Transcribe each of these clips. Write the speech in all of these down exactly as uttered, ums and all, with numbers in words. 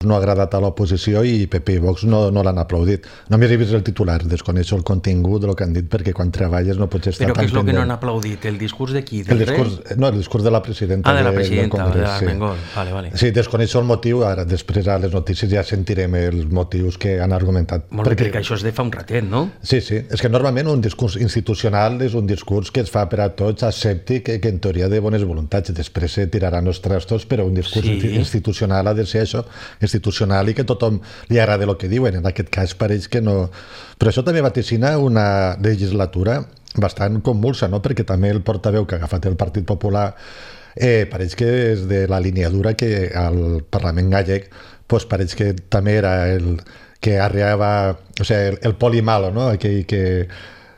no ha agradat a l'oposició i P P i Vox no, no l'han aplaudit. Només he vist el titular, desconeixo el contingut del que han dit, perquè quan treballes no pots estar Però tan què és el que no pendent. han aplaudit? El discurs de qui? El Del discurs, rei? no, el discurs de la presidenta, Ah, de la del presidenta, de Congrés. l'Armengol. Sí. Vale, vale. Sí, desconeixo el motiu, ara després a les notícies ja sentirem els motius que han argumentat. Molt bé, perquè això és de fa un ratet, no? Sí, sí, és que normalment un discurs institucional és un discurs que es fa per a tots, escèptic, que, que en teoria de bones voluntats, després se tiraran els trastos, però un discurs Sí. institucional ha de ser això, institucional, i que tothom li agrada el que diuen. En aquest cas pareix que no. Però això també vaticina una legislatura bastant convulsa, no? Perquè també el portaveu que ha agafat el Partit Popular eh, pareix que és de la línia dura que al Parlament gallec pues, pareix que també era el que arreava, o sigui, el, el poli malo, no? Aquell que,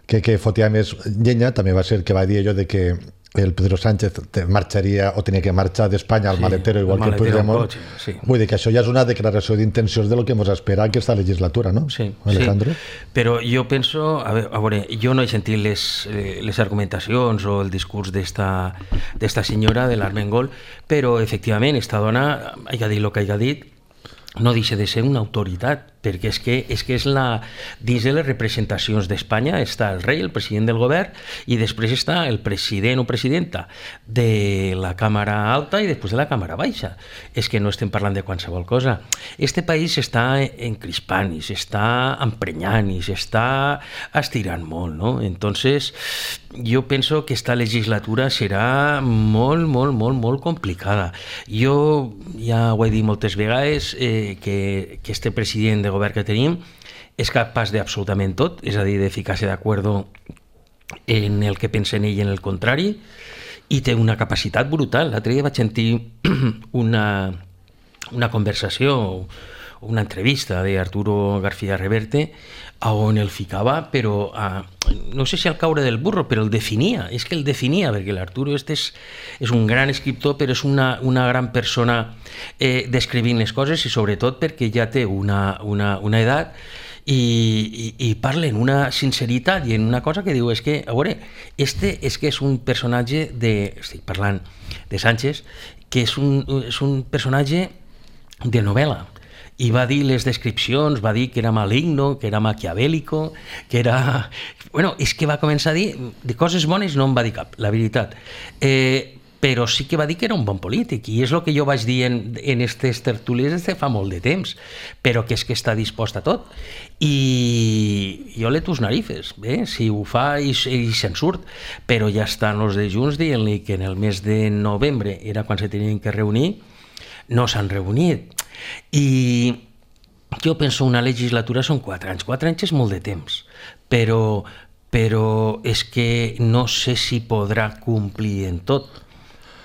que, que fotia més llenya, també va ser el que va dir allò de que el Pedro Sánchez marxaria o tenia que marxar d'Espanya al Sí, maletero igual el que maletero Puigdemont. al cotxe, sí. Vull dir que això ja és una declaració d'intencions de lo que ens espera aquesta legislatura, no? Sí, Alejandro? sí. Però jo penso, a veure, a veure, jo no he sentit les, eh, les argumentacions o el discurs d'esta d'esta senyora, de l'Armengol, però efectivament, esta dona, hagi dit el que hagi dit, no deixa de ser una autoritat, perquè és que és, que és la... Dins de les representacions d'Espanya està el rei, el president del govern, i després està el president o presidenta de la Càmera Alta i després de la Càmera Baixa. És que no estem parlant de qualsevol cosa. Este país s'està encrispant i s'està emprenyant i s'està estirant molt, no? Entonces, jo penso que esta legislatura serà molt, molt, molt, molt complicada. Jo ja ho he dit moltes vegades, eh, que, que este president de govern que tenim és capaç d'absolutament tot, és a dir, de ficar-se d'acord en el que pensa en ell i en el contrari, i té una capacitat brutal. L'altre dia vaig sentir una, una conversació o una entrevista d'Arturo García Reverte on el ficava, però a, no sé si al caure del burro, però el definia, és que el definia, perquè l'Arturo este és, és un gran escriptor, però és una, una gran persona eh, descrivint les coses, i sobretot perquè ja té una, una, una edat i, i, i parla en una sinceritat i en una cosa que diu, és que, a veure, este és que és un personatge de, estic parlant de Sánchez, que és un, és un personatge de novel·la, i va dir les descripcions, va dir que era maligno, que era maquiavèlico, que era... Bueno, és que va començar a dir de coses bones, no en va dir cap, la veritat. Eh, però sí que va dir que era un bon polític, i és el que jo vaig dir en, en aquestes tertúlies des de fa molt de temps, però que és que està dispost a tot. I jo le tus narices, eh? Si ho fa i, i se'n surt, però ja estan els de Junts dient-li que en el mes de novembre era quan se tenien que reunir, no s'han reunit. I jo penso una legislatura són quatre anys. Quatre anys és molt de temps, però, però és que no sé si podrà complir en tot.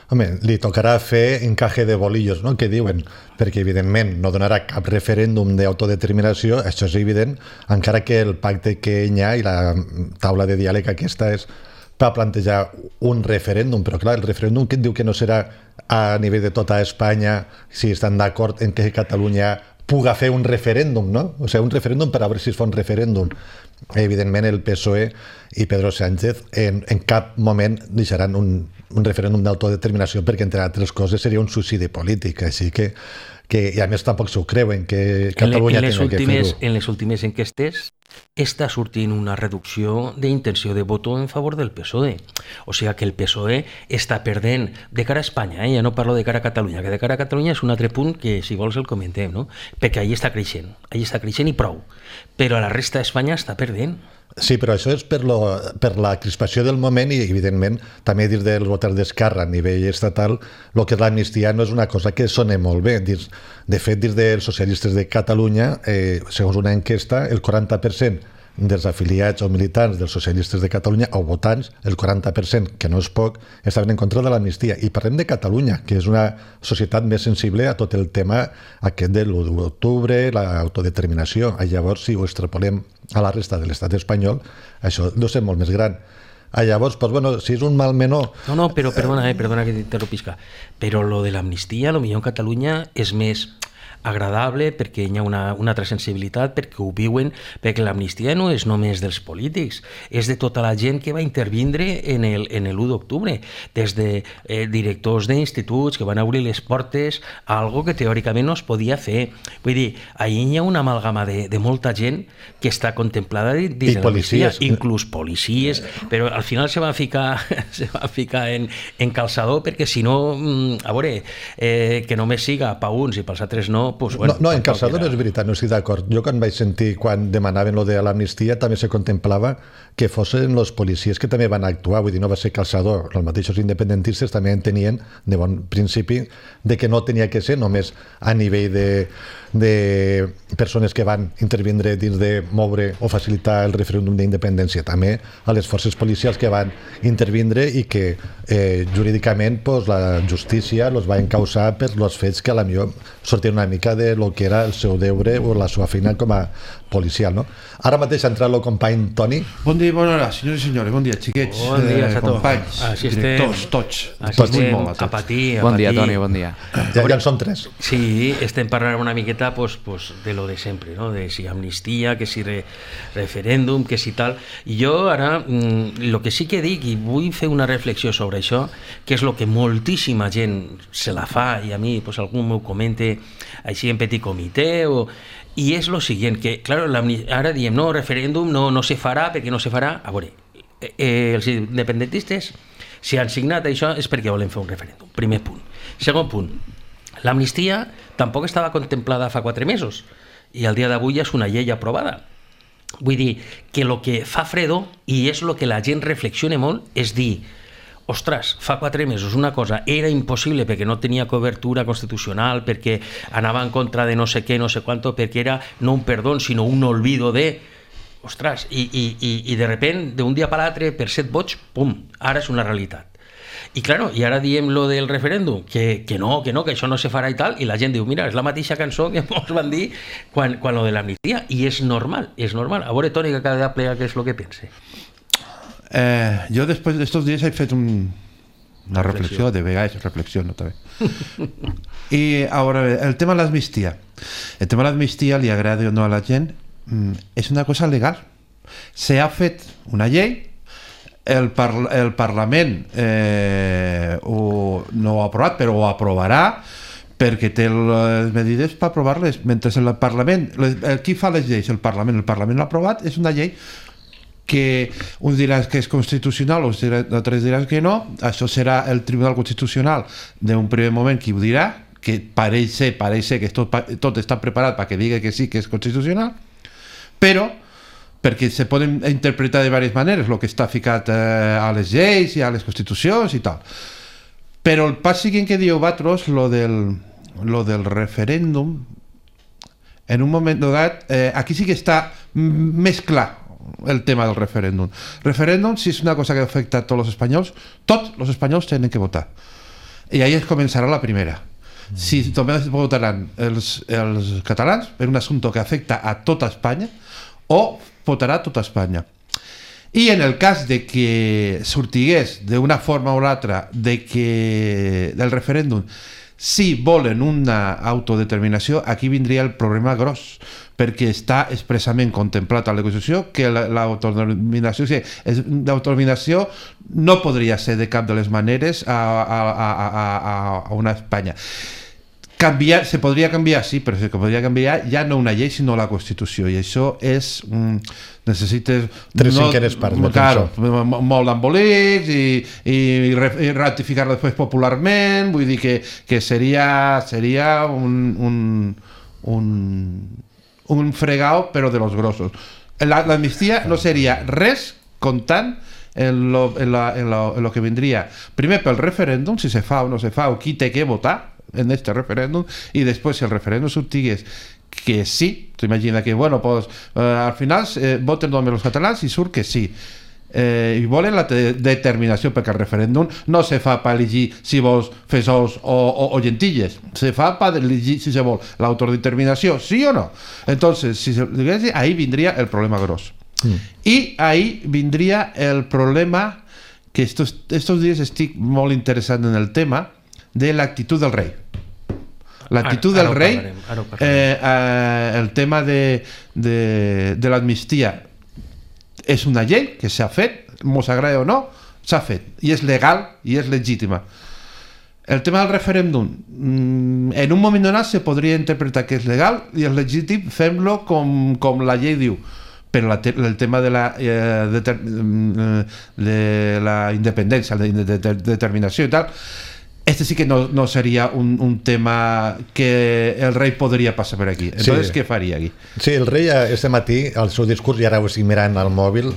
Home, li tocarà fer encaje de bolillos, no?, que diuen, perquè evidentment no donarà cap referèndum d'autodeterminació, això és evident, encara que el pacte que hi ha i la taula de diàleg aquesta és per plantejar un referèndum, però clar, el referèndum que diu que no serà a nivell de tota Espanya, si estan d'acord en que Catalunya puga fer un referèndum, no? O sigui, un referèndum per a veure si es fa un referèndum. Evidentment el P S O E i Pedro Sánchez en, en cap moment deixaran un, un referèndum d'autodeterminació, perquè entre altres coses seria un suïcidi polític, així que, que i a més tampoc s'ho creuen que Catalunya en les, en les tingui últimes, que fer-ho. en les últimes enquestes està sortint una reducció d'intenció de voto en favor del P S O E. O sigui que el P S O E està perdent de cara a Espanya, eh? Ja no parlo de cara a Catalunya, que de cara a Catalunya és un altre punt que si vols el comentem, no? Perquè allà està creixent, allà està creixent i prou, però a la resta d'Espanya està perdent. Sí, però això és per, lo, per la crispació del moment i, evidentment, també dins dels votants d'Esquerra a nivell estatal, el que és l'amnistia no és una cosa que sona molt bé. Dins, de fet, dins dels socialistes de Catalunya, eh, segons una enquesta, el quaranta per cent dels afiliats o militants dels socialistes de Catalunya, o votants, el quaranta per cent, que no és poc, estaven en contra de l'amnistia. I parlem de Catalunya, que és una societat més sensible a tot el tema aquest de l'u d'octubre, l'autodeterminació. Llavors, si ho extrapolem a la resta de l'estat espanyol, això deu ser molt més gran. Ah, llavors, pues, bueno, si és un mal menor... No, no, però perdona, eh, perdona que t'interrompisca, però lo de l'amnistia, lo millor en Catalunya és més... agradable, perquè hi ha una, una altra sensibilitat, perquè ho viuen, perquè l'amnistia no és només dels polítics, és de tota la gent que va intervindre en el, en l'u d'octubre, des de eh, directors d'instituts que van obrir les portes a algo que teòricament no es podia fer. Vull dir, ahir hi ha una amalgama de, de molta gent que està contemplada dins de l'amnistia, inclús policies, però al final se va ficar, se va ficar en, en calçador, perquè si no, a veure, eh, que només siga pa uns i pels altres no, pues, bueno, no, no, en calçador no és veritat, no estic d'acord. Jo quan vaig sentir, quan demanaven lo de l'amnistia, també se contemplava que fossin els policies que també van actuar, vull dir, no va ser calçador. Els mateixos independentistes també entenien de bon principi de que no tenia que ser només a nivell de, de persones que van intervindre dins de moure o facilitar el referèndum d'independència, també a les forces policials que van intervindre i que eh, jurídicament pues, la justícia els va encausar per els fets que a la millor sortien una mica de lo que era el seu deure o la seva feina com a policial, no? Ara mateix ha entrat el company Toni. Bon dia, bona hora, senyores i senyores, bon dia, xiquets, bon dia, eh, companys, així directors, tots. Així tots estem, molt, a patir, a bon dia, patir. Toni, bon dia. Ja, ja en són tres. Sí, estem parlant una miqueta pues, pues, de lo de sempre, no? De si amnistia, que si re, referèndum, que si tal. I jo ara, el mm, que sí que dic, i vull fer una reflexió sobre això, que és el que moltíssima gent se la fa, i a mi pues, algú m'ho comente així en petit comitè, o... i és lo siguiente, que claro, ara diem no, referèndum no, no se farà perquè no se farà. A veure, eh, els independentistes si han signat això és perquè volen fer un referèndum, primer punt. Segon punt, l'amnistia tampoc estava contemplada fa quatre mesos i al dia d'avui és una llei aprovada. Vull dir que el que fa fredo, i és el que la gent reflexiona molt, és dir ostres, fa quatre mesos una cosa era impossible perquè no tenia cobertura constitucional, perquè anava en contra de no sé què, no sé quanto, perquè era no un perdó, sinó un olvido de... Ostres, i, i, i, i de repent, d'un dia per l'altre, per set vots, pum, ara és una realitat. I claro, i ara diem lo del referèndum, que, que no, que no, que això no se farà i tal, i la gent diu, mira, és la mateixa cançó que ens van dir quan, quan lo de l'amnistia, i és normal, és normal. A veure, Toni, que cada dia plega què és el que pense. Eh, jo després d'estos dies he fet un, una reflexió, de vegades reflexió, no també. I ara, el tema de l'amnistia. El tema de l'amnistia, li agrada o no a la gent, és una cosa legal. Se ha fet una llei, el, par el Parlament eh, ho, no ho ha aprovat, però ho aprovarà, perquè té les medides per aprovar-les. Mentre el Parlament, les, el, qui fa les lleis? El Parlament. El Parlament l'ha aprovat, és una llei que uns diran que és constitucional, altres diran que no. Això serà el Tribunal Constitucional d'un primer moment qui ho dirà, que pareix ser, pareix ser que tot, tot està preparat perquè digui que sí que és constitucional, però perquè se poden interpretar de diverses maneres el que està ficat eh, a les lleis i a les constitucions i tal. Però el pas següent que diu vosaltres, lo del, lo del referèndum, en un moment donat, eh, aquí sí que està més clar el tema del referèndum. Referèndum, si és una cosa que afecta a tots els espanyols, tots els espanyols tenen que votar. I ahí es començarà la primera. Si només votaran els, els catalans per un assumpte que afecta a tota Espanya, o votarà tota Espanya. I en el cas de que sortigués d'una forma o l'altra de que del referèndum, si volen una autodeterminació, aquí vindria el problema gros, perquè està expressament contemplat a la Constitució que l'autodeterminació l'autodeterminació no podria ser de cap de les maneres a, a, a, a, a una Espanya. Canviar, se podria canviar, sí, però se podria canviar ja no una llei, sinó la Constitució, i això és... Mm, necessites... Tres no, cinquenes parts. Claro, molt d'embolics i, i, i ratificar-lo després popularment, vull dir que, que seria, seria un, un, un, un fregao, però de los grossos. L'amnistia no seria res comptant en lo, en, la, en, lo, en lo que vindria primer pel referèndum, si se fa o no se fa, o qui té que votar en este referèndum, i després si el referèndum sortigués que sí, t'imagina que bueno, pues, eh, al final eh, voten només els catalans i surt que sí, eh, i volen la determinació, perquè el referèndum no se fa per elegir si vols fesols o, o, o llentilles, se fa per elegir si se vol l'autodeterminació, sí o no. Entonces, si se, ahí vindria el problema gros. Mm. I ahí vindria el problema que estos, estos dies estic molt interessant en el tema de l'actitud del rei. L'actitud del rei, eh, eh, el tema de, de, de l'amnistia és una llei que s'ha fet, mos agrada o no, s'ha fet, i és legal i és legítima. El tema del referèndum, en un moment donat se podria interpretar que és legal i és legítim, fem-lo com, com la llei diu, però la, el tema de la, eh, de, de la independència, de, de, de determinació i tal, este sí que no, no sería un, un tema que el rei podria passar per aquí. Entonces, sí. Què faria aquí? Sí, el rei este matí, al seu discurs, i ara ho estic mirant al mòbil,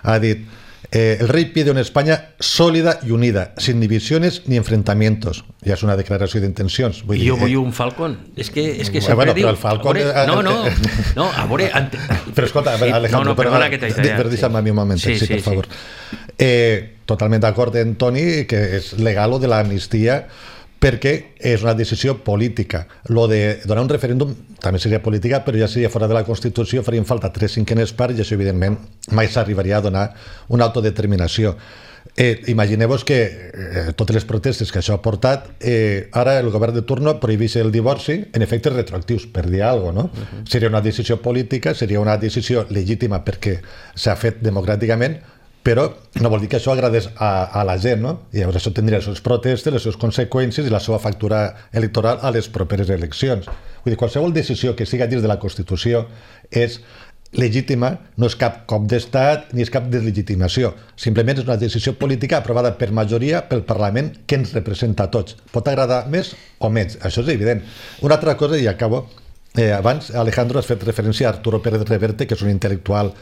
ha dit eh, el rei pide una España sólida y unida, sin divisiones ni enfrentamientos. Ja és una declaració d'intencions. I jo vull eh, un Falcon. És que, és que sempre bueno, diu... Però el Falcon... Veure, no, no, no, a veure... Ante... Però escolta, sí, Alejandro, no, no, perdona que t'he tallat. Però deixa'm a mi un moment, sí, sí, sí, per favor. Sí. Eh, totalment d'acord en Toni que és legal lo de l'amnistia perquè és una decisió política. Lo de donar un referèndum també seria política, però ja seria fora de la Constitució, farien falta tres cinquenes parts i això, evidentment, mai s'arribaria a donar una autodeterminació. Eh, Imagineu-vos que eh, totes les protestes que això ha portat, eh, ara el govern de turno prohibís el divorci en efectes retroactius, per dir alguna cosa, no? Uh-huh. Seria una decisió política, seria una decisió legítima perquè s'ha fet democràticament, però no vol dir que això agradés a, a la gent, no? I llavors això tindria les seves protestes, les seves conseqüències i la seva factura electoral a les properes eleccions. Vull dir, qualsevol decisió que siga dins de la Constitució és legítima, no és cap cop d'estat ni és cap deslegitimació, simplement és una decisió política aprovada per majoria pel Parlament que ens representa a tots. Pot agradar més o menys, això és evident. Una altra cosa, i acabo, eh, abans Alejandro has fet referència a Arturo Pérez Reverte, que és un intel·lectual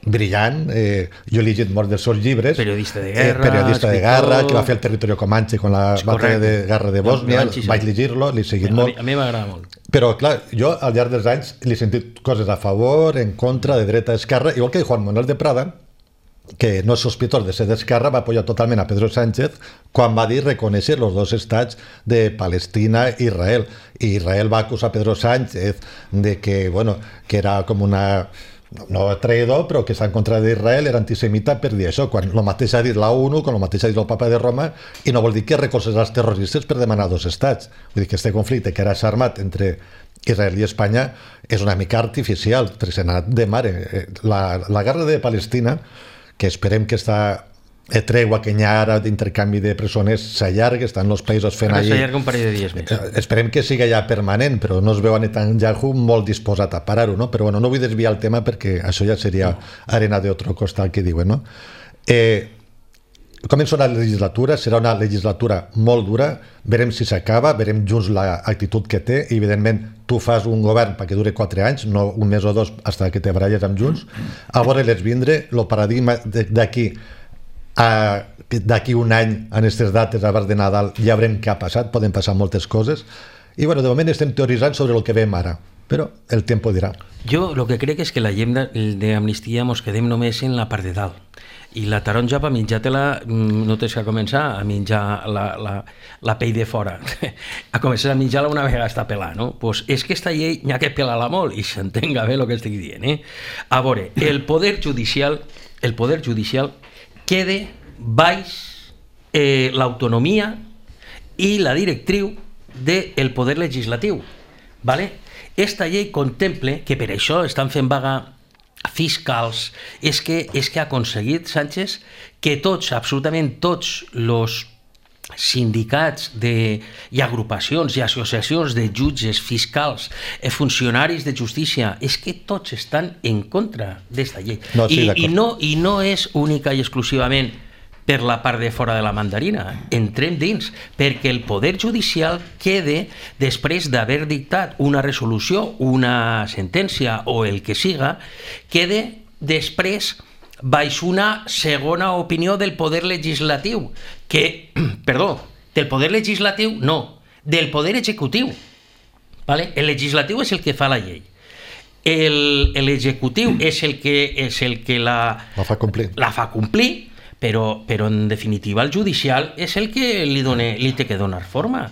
brillant, eh, jo he llegit molts dels seus llibres, periodista de guerra, eh, periodista de guerra, que va fer el Territorio Comanche con la batalla de guerra de Bòsnia, no, vaig llegir-lo, l'he seguit a molt. Mi, a mi m'agrada molt. Però, clar, jo al llarg dels anys li he sentit coses a favor, en contra, de dreta, esquerra, igual que Juan Manuel de Prada, que no és sospitós de ser d'esquerra, va apoyar totalment a Pedro Sánchez quan va dir reconèixer els dos estats de Palestina i Israel. I Israel va acusar a Pedro Sánchez de que, bueno, que era com una... no traïdor, però que està en contra d'Israel, era antisemita per dir això, quan el mateix ha dit la ONU, quan el mateix ha dit el Papa de Roma, i no vol dir que recolzés els terroristes per demanar dos estats. Vull dir que aquest conflicte que ara s'ha armat entre Israel i Espanya és una mica artificial, tresenat de mare. La, la guerra de Palestina, que esperem que està tregua que hi ha ara d'intercanvi de presoners s'allarga, estan els països fent allí... S'allarga un parell de dies més. Esperem que siga ja permanent, però no es veu a Netanyahu molt disposat a parar-ho, no? Però bueno, no vull desviar el tema perquè això ja seria arena d'altre costat que diuen, no? Eh, comença una legislatura, serà una legislatura molt dura, verem si s'acaba, verem junts l'actitud que té, i evidentment tu fas un govern perquè dure quatre anys, no un mes o dos fins que te baralles amb Junts, a veure les vindre, el paradigma d'aquí a d'aquí un any en aquestes dates abans de Nadal ja veurem què ha passat, poden passar moltes coses i bueno, de moment estem teoritzant sobre el que veiem ara, però el temps dirà. Jo el que crec és que la llei d'amnistia mos quedem només en la part de dalt i la taronja per menjar-te-la no tens que començar a menjar la, la, la pell de fora a començar a menjar-la una vegada està pelar, no? Pues és que esta llei n'hi ha que pelar-la molt i s'entenga bé el que estic dient, eh? A veure, el poder judicial el poder judicial quede baix eh, l'autonomia i la directriu del poder legislatiu, ¿vale? Esta llei contemple que per això estan fent vaga fiscals, és que, és que ha aconseguit Sánchez que tots, absolutament tots els sindicats de, i agrupacions i associacions de jutges, fiscals, funcionaris de justícia, és que tots estan en contra d'esta llei. No, sí, I, i, no, I no és única i exclusivament per la part de fora de la mandarina, entrem dins, perquè el poder judicial quede, després d'haver dictat una resolució, una sentència o el que siga, quede després baix una segona opinió del poder legislatiu, que, perdó, del poder legislatiu no, del poder executiu. ¿Vale? El legislatiu és el que fa la llei. L'executiu és el que, és el que la, la fa complir. La fa complir, però, però en definitiva el judicial és el que li, done, li té que donar forma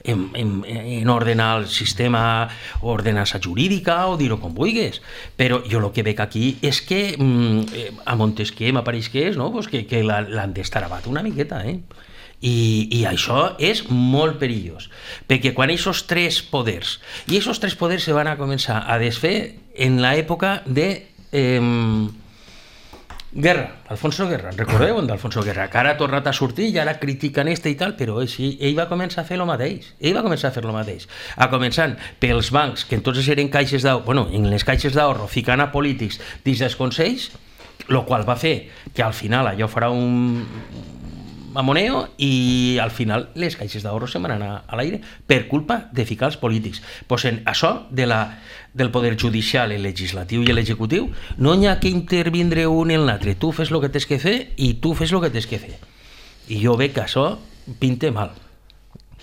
en, en, en ordenar el sistema, ordenança jurídica o dir-ho com vulguis. Però jo el que veig aquí és que mm, a Montesquieu m'apareix que és, no? Pues que, que l'han d'estar abat una miqueta, eh? I, i això és molt perillós, perquè quan aquests tres poders, i aquests tres poders se van a començar a desfer en l'època de eh, Guerra, Alfonso Guerra, recordeu d'Alfonso Guerra, que ara ha tornat a sortir i ara critiquen este i tal, però ell, ell va començar a fer el mateix, ell va començar a fer el mateix, a començant pels bancs, que entonces eren caixes d'ahorro, bueno, en les caixes d'ahorro ficant a polítics dins dels consells, el qual va fer que al final allò farà un mamoneo i al final les caixes d'ahorro se'n van anar a l'aire per culpa de ficar els polítics. Pues en això de la, del poder judicial, el legislatiu i l'executiu no hi ha que intervindre un en l'altre. Tu fes el que tens que fer i tu fes el que tens que fer. I jo veig que això pinte mal.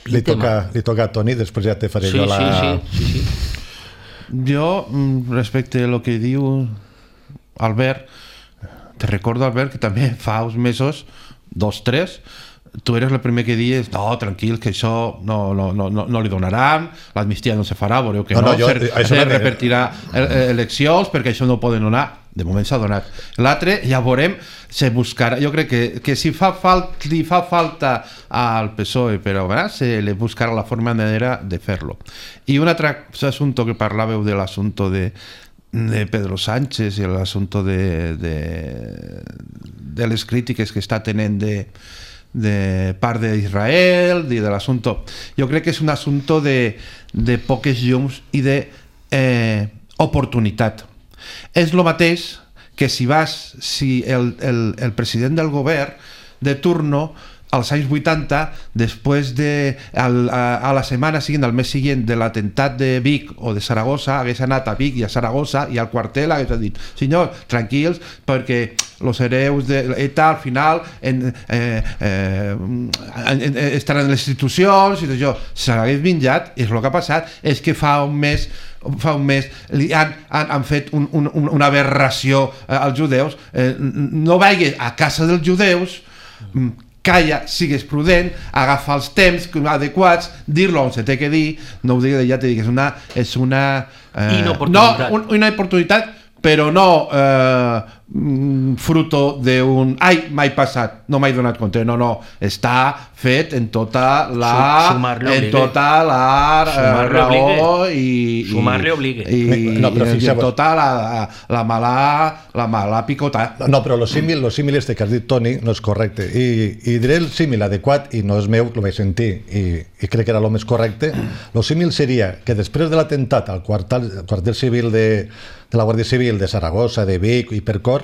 Pinte li, toca, mal. li toca a Toni, després ja te faré sí, jo la... Sí, sí, sí, sí. Jo, respecte a lo que diu Albert, te recordo, Albert, que també fa uns mesos, dos, tres, tu eres el primer que dius no, tranquil, que això no, no, no, no li donaran, l'amnistia no se farà, veureu que no, no, no jo, se, se no repetirà eleccions perquè això no ho poden donar, de moment s'ha donat. L'altre, ja veurem, se buscarà, jo crec que, que si fa falt, li fa falta al P S O E, però ¿verdad? Se le buscarà la forma manera de fer-lo. I un altre assumpte que parlàveu de l'assumpte de de Pedro Sánchez i l'assumpte de, de, de les crítiques que està tenint de, de part d'Israel i de l'assumpte, jo crec que és un assumpte de, de poques llums i de eh, oportunitat. És el mateix que si vas, si el, el, el president del govern de turno als anys vuitanta, després de al, a, a la setmana seguint, al mes següent de l'atemptat de Vic o de Saragossa, hagués anat a Vic i a Saragossa i al quartel hagués dit, senyor, tranquils, perquè els hereus de ETA al final en, eh, eh, en, en, estaran en les institucions i tot això. S'hagués vinjat, és el que ha passat, és que fa un mes fa un mes li han, han, han fet un, un, una aberració eh, als judeus. Eh, no vagis a casa dels judeus, calla, sigues prudent, agafa els temps adequats, dir-lo on se té que dir, no ho digui, ja t'he dit que és una, és una, eh, inoportunitat. No, un, una oportunitat, però no eh, fruto d'un ai, m'he passat, no m'he donat compte, no, no, està fet en tota la en tota la raó i sumar-li obligue i, no, però i en tota la, la mala la mala picota. No, però el símil, el símil este que has dit, Toni, no és correcte i, i diré el símil adequat i no és meu, el vaig sentir i, i crec que era el més correcte. El símil seria que després de l'atemptat al quartel, quartel civil de, de la Guàrdia Civil de Saragossa, de Vic i Percor,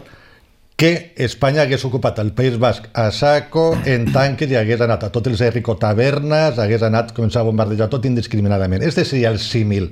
que Espanya hagués ocupat el País Basc a saco, en tanques, i hagués anat a tots els Errico tavernes, hagués anat a començar a bombardejar tot indiscriminadament. Este seria el símil,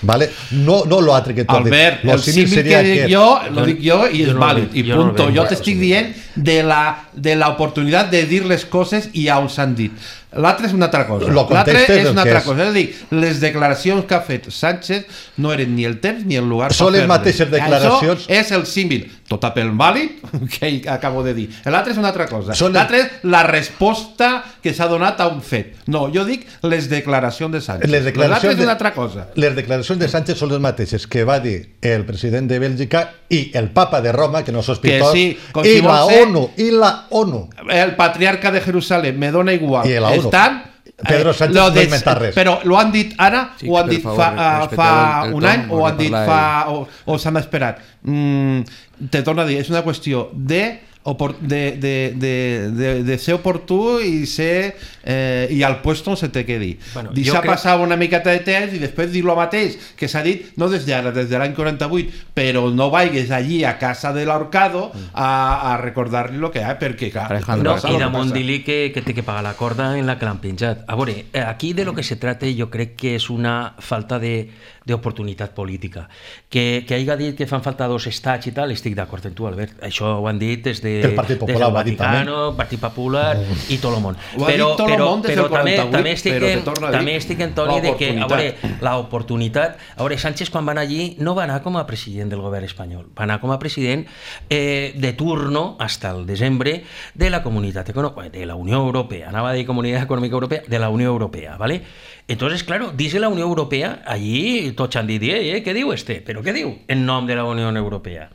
¿vale? No, no lo altre que tu has dit. Albert, el símil que dic jo, lo dic jo i és vàlid, i punto. Jo t'estic dient de la, de la oportunitat de dir les coses i on s'han dit. L'altre és una altra cosa. L'altre és una altra cosa. És a dir, les declaracions que ha fet Sánchez no eren ni el temps ni el lugar per fer-les. Són les mateixes declaracions. Això és el símil. Tot a pel vàlid, que acabo de dir. L'altre és una altra cosa. L'altre és la resposta que s'ha donat a un fet. No, jo dic les declaracions de Sánchez. L'altre és una altra cosa. Les declaracions de Sánchez són les mateixes que va dir el president de Bèlgica i el papa de Roma, que no sospitós, sí, i la ONU, i la ONU. El patriarca de Jerusalem, me dona igual. I la ONU. Estan Pedro Sánchez no ha inventat res. Però lo han dit ara, sí, o han dit favor, fa, fa el, el un any, o han dit fa... o, o s'han esperat. Mm, te torno a dir, és una qüestió de... De, de, de, de, de ser oportú i ser eh, i al puesto on se té que dir. Bueno, deixar crec... passar una miqueta de temps i després dir lo mateix que s'ha dit, no des d'ara, des de l'any quaranta-vuit, però no vagis allí a casa de l'Horcado a, a recordar-li el que hi ha, perquè clar, no, i damunt dir-li que, que té que pagar la corda en la que l'han penjat. A veure, aquí de lo que se trata jo crec que és una falta de d'oportunitat política. Que, que hagi dit que fan falta dos estats i tal, estic d'acord amb tu, Albert. Això ho han dit des de el Partit Popular, des del Vaticano, Partit Popular oh. i tot el món. Ho ha però, dit tot però, el món des però del quaranta-vuit, també estic però en, te torno a dir també estic en Toni de que, a veure, l'oportunitat... A veure, Sánchez quan va anar allí no va anar com a president del govern espanyol, va anar com a president eh, de turno hasta el desembre de la comunitat econòmica, de la Unió Europea, anava a dir Comunitat Econòmica Europea, de la Unió Europea, ¿vale? Entonces, claro, dice la Unió Europea, allí tots han dit, eh, què diu este? Però què diu en nom de la Unió Europea?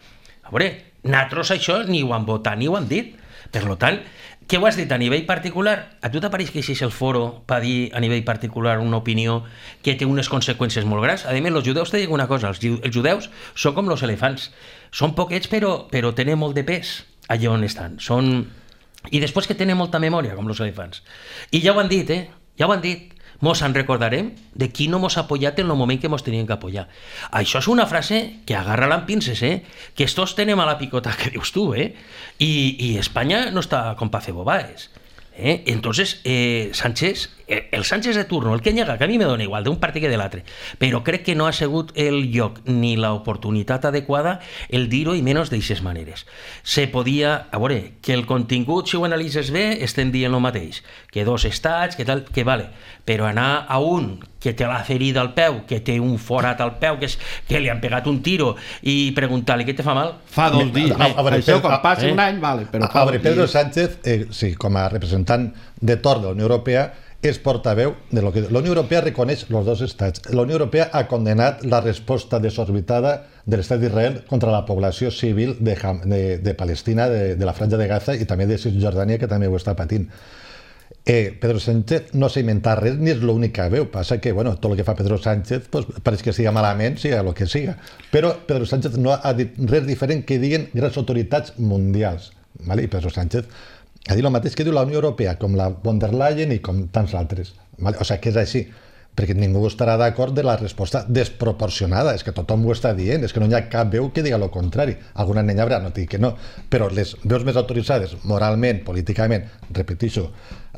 A veure, nosaltres això ni ho han votat ni ho han dit. Per tant, què ho has dit a nivell particular? A tu t'apareix que així és el foro per dir a nivell particular una opinió que té unes conseqüències molt grans? A més, els judeus, te dic una cosa, els, els judeus són com els elefants, són poquets però, però tenen molt de pes allà on estan, són... I després que tenen molta memòria, com els elefants. I ja ho han dit, eh? Ja ho han dit. Mos en recordarem de qui no mos ha apoyat en el moment que mos tenien que apoyar. Això és una frase que agarra-la amb pinces, eh? Que estos tenem a la picota que dius tu, eh? I, i Espanya no està com pa fer bobaes. Eh? Entonces, eh, Sánchez, eh, el Sánchez de turno, el que nega, que a mi me dona igual, d'un partit que de l'altre, però crec que no ha sigut el lloc ni l'oportunitat adequada el dir-ho i menys d'eixes maneres. Se podia, a veure, que el contingut, si ho analitzes bé, estem dient el mateix, que dos estats, que tal, que vale, però anar a un que té la ferida al peu, que té un forat al peu, que, és, que li han pegat un tiro i preguntar-li què te fa mal? Fa dos dies. A, a, a veure, Això Pedro, quan passi eh? un any, vale, però a, fa a veure, dos Pedro dies. Sánchez, eh, sí, com a representant de torn de la Unió Europea, és portaveu de lo que... La Unió Europea reconeix els dos estats. La Unió Europea ha condenat la resposta desorbitada de l'estat d'Israel contra la població civil de, de, de Palestina, de, de la Franja de Gaza i també de Cisjordània, que també ho està patint. Eh, Pedro Sánchez no s'ha inventat res ni és l'única veu, passa que bueno, tot el que fa Pedro Sánchez pues, pareix que siga malament, siga el que siga, però Pedro Sánchez no ha dit res diferent que diguen grans autoritats mundials, vale? I Pedro Sánchez ha dit el mateix que diu la Unió Europea, com la von der Leyen i com tants altres, vale? O sigui que és així, perquè ningú estarà d'acord de la resposta desproporcionada, és que tothom ho està dient, és que no hi ha cap veu que diga el contrari, alguna n'hi haurà, no dic que no, però les veus més autoritzades, moralment, políticament, repeteixo,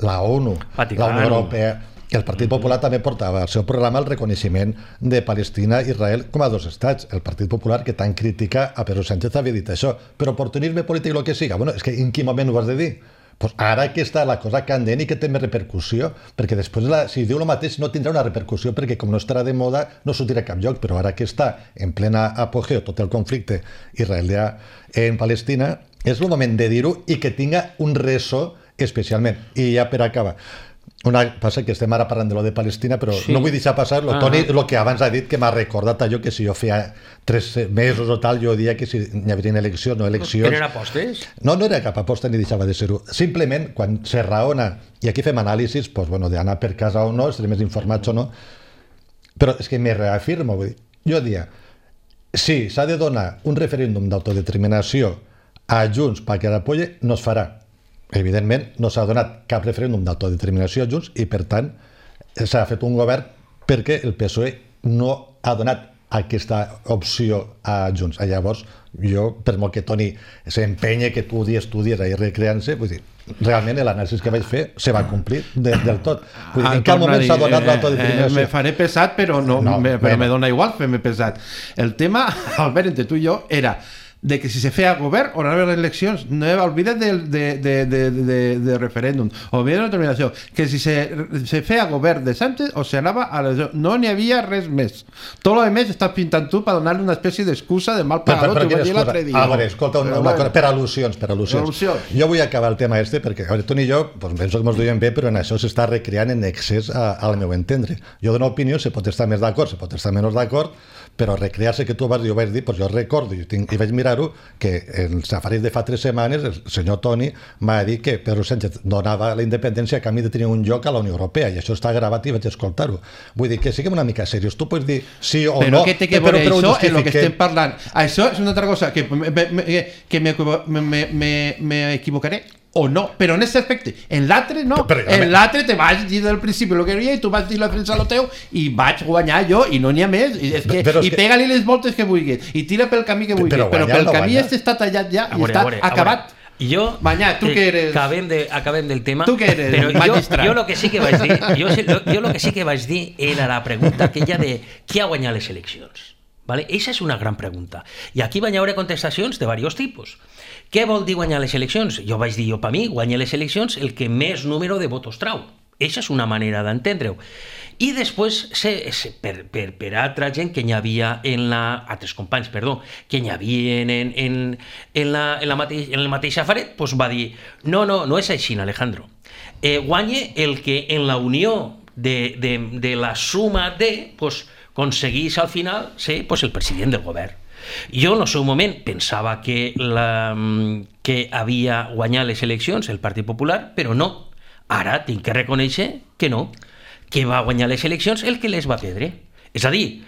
la ONU, Vaticano. la Unió Europea, el Partit Popular també portava al seu programa el reconeixement de Palestina i Israel com a dos estats, el Partit Popular que tant critica a Pedro Sánchez havia dit això, però oportunisme polític i el que siga, bueno, és que en quin moment ho has de dir? Pues ara que està la cosa candent i que té més repercussió, perquè després la, si diu el mateix no tindrà una repercussió perquè com no estarà de moda no sortirà a cap lloc, però ara que està en plena apogeu tot el conflicte israelià en Palestina, és el moment de dir-ho i que tinga un ressò especialment. I ja per acabar, una, passa que estem ara parlant de lo de Palestina, però sí. No vull deixar passar lo, ah. Toni, el que abans ha dit, que m'ha recordat allò que si jo feia tres mesos o tal, jo dia que si hi haurien eleccions, no eleccions... Eren apostes? No, no era cap aposta ni deixava de ser-ho. Simplement, quan se raona, i aquí fem anàlisis, pues, bueno, d'anar per casa o no, estarem més informats o no, però és que me reafirmo, vull dir, jo dia, si s'ha de donar un referèndum d'autodeterminació a Junts perquè l'apoye, no es farà. Evidentment, no s'ha donat cap referèndum d'autodeterminació a Junts i, per tant, s'ha fet un govern perquè el P S O E no ha donat aquesta opció a Junts. Llavors, jo, per molt que Toni s'empenye, que tu dies, tu dies, ahir recreant-se, vull dir, realment l'anàlisi que vaig fer se va complir de, del tot. Vull dir, en cap moment s'ha donat l'autodeterminació. Eh, me faré pesat, però, no, no, me, però me dona igual fer-me pesat. El tema, Albert, entre tu i jo, era de que si se feia govern o no hi havia eleccions, no oblida't de, de, de, de, de, de referèndum, oblida't de la determinació, que si se, se feia govern de Sánchez o se anava a l'elecció, no n'hi havia res més. Tot lo més estàs pintant tu per donar-li una espècie d'excusa de mal pagador, t'ho vaig dir l'altre dia. A veure, escolta, una, una cosa, per al·lusions, per al·lusions. al·lusions. Jo vull acabar el tema este, perquè a veure, tu i jo, doncs, penso que ens duiem bé, però en això s'està recreant en excés a, al meu entendre. Jo dono opinió, se pot estar més d'acord, se pot estar menys d'acord, però recrear-se que tu vas dir, ho vaig dir, doncs jo recordo i, tinc, i vaig mirar-ho, que en els safaris de fa tres setmanes el senyor Toni m'ha dit que Pedro Sánchez donava la independència a canvi de tenir un lloc a la Unió Europea, i això està gravat i vaig escoltar-ho. Vull dir que siguem una mica serios, tu pots dir sí o però no, què té que veure això en el que estem parlant? Això és una altra cosa, que m'equivocaré o no, però en aquest aspecte, en l'altre no, però, però, en l'altre te vaig dir del principi el que havia i tu vas dir la defensa lo teu i vaig guanyar jo i no n'hi ha més i, és que, però és i que... pega-li les voltes que vulguis i tira pel camí que vulguis, però, però pel no camí guanyar. Este està tallat ja i està veure, acabat. Jo, Mañà, tu que eres... Acabem, de, acabem del tema. Tu que eres però magistrat. Jo, jo lo que sí que vaig dir, jo, jo lo que sí que vaig dir era la pregunta aquella de qui ha guanyat les eleccions. ¿Vale? Esa és una gran pregunta. I aquí van haver contestacions de diversos tipus. Què vol dir guanyar les eleccions? Jo vaig dir, jo per mi, guanyar les eleccions el que més número de votos trau. Eixa és una manera d'entendre-ho. I després, se, se, per, per, per altra gent que n'hi havia en la... altres companys, perdó, que n'hi havia en, en, en, la, en, la mateix, en el mateix afaret, doncs va dir, no, no, no és així, Alejandro. Eh, guanye el que en la unió de, de, de la suma de... Pues, aconseguís al final ser pues, el president del govern. Jo, en el seu moment, pensava que, la, que havia guanyat les eleccions el Partit Popular, però no. Ara tinc que reconèixer que no, que va guanyar les eleccions el que les va perdre. És a dir,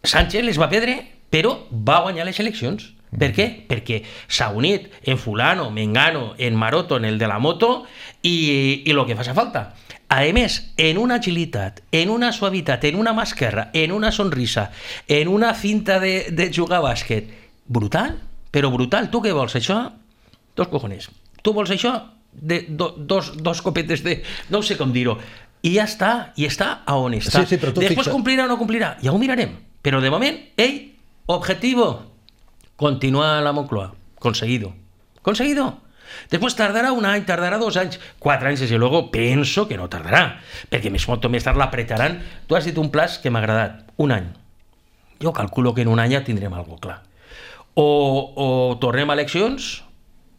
Sánchez les va perdre, però va guanyar les eleccions. Per què? Perquè s'ha unit en fulano, mengano, en maroto, en el de la moto i, i el que faci falta. A més, en una agilitat, en una suavitat, en una mà esquerra, en una sonrisa, en una cinta de, de jugar a bàsquet, brutal, però brutal. Tu què vols, això? Dos cojones. Tu vols això? De, do, dos, dos copetes de... no sé com dir-ho. I ja està, i està a on està. Sí, sí, Després fixa... complirà o no complirà, ja ho mirarem. Però de moment, ell, objetivo, continua a la Moncloa. Conseguido. Conseguido. Después tardará un any, tardará dos anys, quatre anys, desde luego, penso que no tardarà, perquè més molt més tard l'apretaran. Tu has dit un plaç que m'ha agradat, un any. Jo calculo que en un any ja tindrem alguna clar. O, o tornem a eleccions,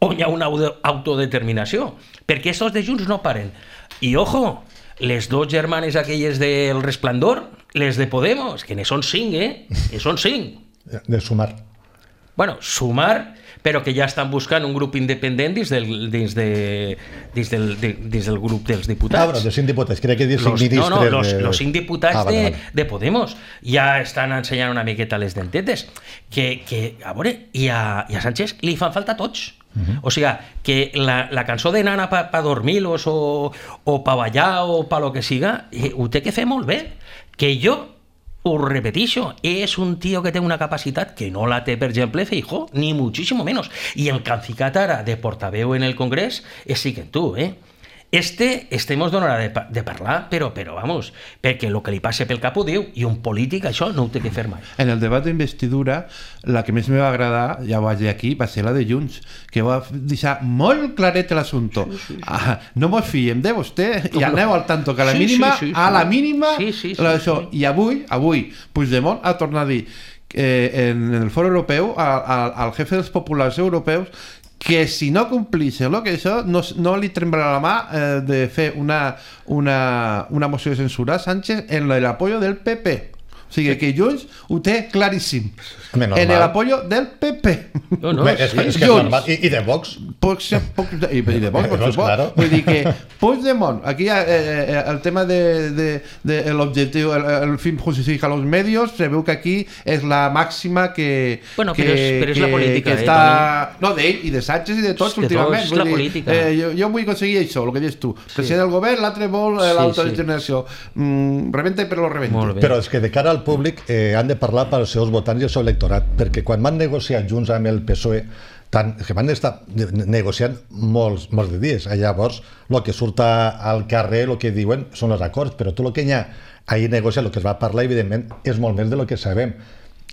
o hi ha una autodeterminació, perquè estos de Junts no paren. I ojo, les dos germanes aquelles del Resplandor, les de Podemos, que ne són cinc, eh? Ne són cinc. De sumar. Bueno, sumar, però que ja estan buscant un grup independent dins del, dins de, dins del, de, dins del grup dels diputats. Ah, bueno, de cinc diputats, crec que dir cinc los, ministres... No, no, los, de... los cinc diputats ah, vale, de, vale. de Podemos ja estan ensenyant una miqueta les dentetes, que, que a veure, i a, i a Sánchez li fan falta tots. Uh-huh. O sigui, que la, la cançó de Nana pa, pa dormir-los o, o pa ballar o pa lo que siga, eh, ho té que fer molt bé. Que jo ho repetixo, és un tio que té una capacitat que no la té, per exemple, Feijóo, ni muchísimo menos. I el que han ficat ara de portaveu en el Congrés és sí que tu, eh? Este, este mos donarà de, de parlar, però, però, vamos, perquè el que li passa pel cap ho diu, i un polític això no ho té que fer mai. En el debat d'investidura, la que més me va agradar, ja ho vaig dir aquí, va ser la de Junts, que va deixar molt claret l'assumpte. Sí, sí, sí. Ah, no mos fiem de vostè, i aneu al tanto, que a la sí, mínima, sí, sí, sí. a la mínima, sí, sí, sí, la, això. sí. I avui, avui, Puigdemont ha tornat a dir eh, en el foro europeu, a, a, al jefe dels populars europeus, que si no complís el que això, no, no li tremblarà la mà eh, de fer una, una, una moció de censura a Sánchez en el apoyo del P P. O sigui, que Junts ho té claríssim. Home, en el apoyo del P P. No, no, Home, és, sí. és que és normal. I, I de Vox. Poc, poc, i, i de Vox, per Vox, supost. claro. Vull dir que Puigdemont, aquí eh, eh, el tema de, de, de l'objectiu, el, el fin justifica los medios, se veu que aquí és la màxima que... Bueno, que, però és, però és que, la política, que eh, està... Toni? No, d'ell i de Sánchez i de tots De últimament. tots, la Vull dir, política. Eh, jo, jo vull aconseguir això, el que dius tu. President del govern, l'altre vol eh, Sí, l'autodeterminació. Mm, rebenta per lo rebenta. Molt bé. Però és que de cara al públic eh, han de parlar pels seus votants i el seu electorat, perquè quan van negociar junts amb el P S O E, tant, que van estar negociant molts, molts de dies, llavors el que surt al carrer, el que diuen són els acords, però tot el que hi ha ahir negociat, el que es va parlar, evidentment, és molt més de lo que sabem.